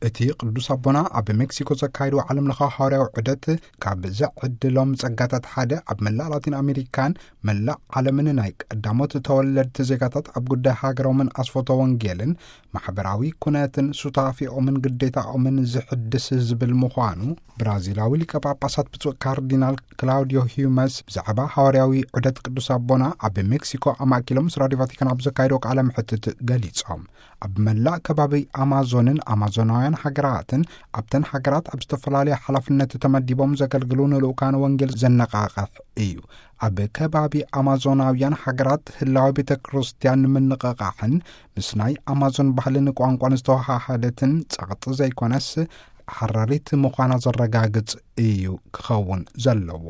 እቲ ቅዱስ ኣቦና ኣብ ሜክሲኮ ዘካየድዎ ዓለም ለኻዊ ሃዋርያዊ ዑደት፣ ካብ ዘዕድሎም ጸጋታት ሓደ፣ ኣብ መላእ ላቲን ኣሜሪካን መላእ ዓለምን ናይ ቀዳሞት ተወለድቲ ዜጋታት ኣብ ጉዳይ ሃገሮምን ኣስፈቶ ወንጌልን ማሕበራዊ ኩነትን ሱታፌኦምን ግዴታኦምን ዝሕድስ ዝብል ምዃኑ፣ ብራዚላዊ ሊቀ ጳጳሳት ብፁዕ ካርዲናል ክላውዲዮ ሂዩመስ ብዛዕባ ሃዋርያዊ ዑደት ቅዱስ ኣቦና ኣብ ሜክሲኮ ኣማእኪሎም ምስ ራዲዮ ቫቲካን ኣብ ዘካየድዎ ቃለ መሕትት ገሊጾም። ኣብ መላእ ከባቢ ኣማዞንን ኣማዞናውያን ሃገራትን፣ ኣብተን ሃገራት ኣብ ዝተፈላለያ ሓላፍነት ተመዲቦም ዘገልግሉ ንልኡካን ወንጌል ዘነቓቕሕ እዩ። ኣብ ከባቢ ኣማዞናውያን ሃገራት ህላዊ ቤተ ክርስቲያን ንምንቕቓሕን ምስ ናይ ኣማዞን ባህልን ቋንቋን ዝተወሃሃደትን ጸቕጢ ዘይኮነስ ሓራሪት ምዃና ዘረጋግጽ እዩ ክኸውን ዘለዎ።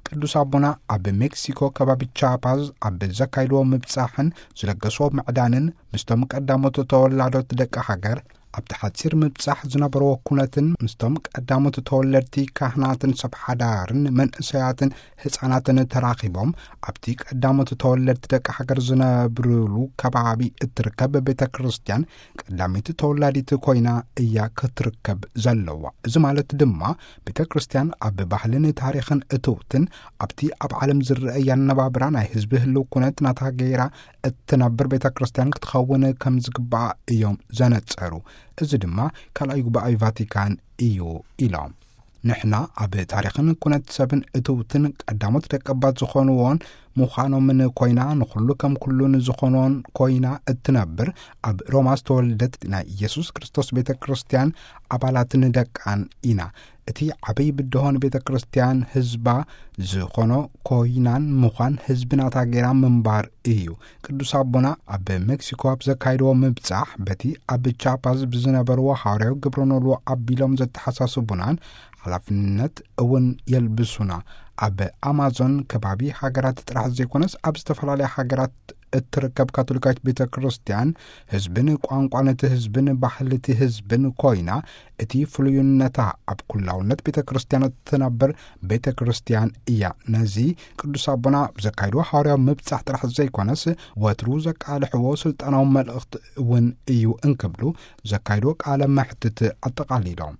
ቅዱስ ኣቦና ኣብ ሜክሲኮ ከባቢ ቻፓዝ ኣብ ዘካይድዎ ምብጻሕን ዝለገስዎ ምዕዳንን ምስቶም ቀዳሞት ተወላዶት ደቂ ሃገር፣ ኣብቲ ሓጺር ምብጻሕ ዝነበርዎ ኩነትን ምስቶም ቀዳሞት ተወለድቲ ካህናትን ሰብ ሓዳርን መንእሰያትን ህጻናትን ተራኺቦም ኣብቲ ቀዳሞት ተወለድቲ ደቂ ሃገር ዝነብርሉ ከባቢ እትርከብ ቤተ ክርስቲያን ቀዳመይቲ ተወላዲት ኮይና እያ ክትርከብ ዘለዋ። እዚ ማለት ድማ ቤተ ክርስቲያን ኣብ ባህልን ታሪኽን እትውትን ኣብቲ ኣብ ዓለም ዝረአ ኣነባብራ ናይ ህዝቢ ህልው ኩነት ናታ ገይራ እትነብር ቤተ ክርስቲያን ክትኸውን ከም ዝግባኣ እዮም ዘነጸሩ። እዚ ድማ ካልኣይ ጉባኤ ቫቲካን እዩ ኢሎም። ንሕና ኣብ ታሪኽን ኩነት ሰብን እትውትን ቀዳሞት ደቀባት ዝኾንዎን ምዃኖምን ኮይና፣ ንኹሉ ከም ኩሉ ንዝኾኖን ኮይና እትነብር፣ ኣብ ሮማ ዝተወልደት ናይ ኢየሱስ ክርስቶስ ቤተ ክርስቲያን ኣባላትን ደቃን ኢና። እቲ ዓብይ ብድሆን ቤተ ክርስቲያን ህዝባ ዝኾኖ ኮይናን ምዃን ህዝቢ ናታ ገይራ ምንባር እዩ። ቅዱስ ኣቦና ኣብ ሜክሲኮ ኣብ ዘካይድዎ ምብጻሕ፣ በቲ ኣብ ቻፓዝ ብዝነበርዎ ሃዋርያዊ ግብረ ኖልዎ ኣቢሎም ዘተሓሳስቡናን ሓላፍነት እውን የልብሱና። ኣብ ኣማዞን ከባቢ ሃገራት ጥራሕ ዘይኮነስ፣ ኣብ ዝተፈላለያ ሃገራት እትርከብ ካቶሊካዊት ቤተ ክርስቲያን ህዝብን ቋንቋን እቲ ህዝብን ባህሊ እቲ ህዝብን ኮይና፣ እቲ ፍሉይነታ ኣብ ኩላውነት ቤተ ክርስቲያን እትነብር ቤተ ክርስቲያን እያ። ነዚ ቅዱስ ኣቦና ብዘካይድዎ ሃዋርያዊ ምብጻሕ ጥራሕ ዘይኮነስ፣ ወትሩ ዘቃልሕዎ ስልጣናዊ መልእኽቲ እውን እዩ እንክብሉ ዘካይድዎ ቃለ መሕትት ኣጠቓሊሎም።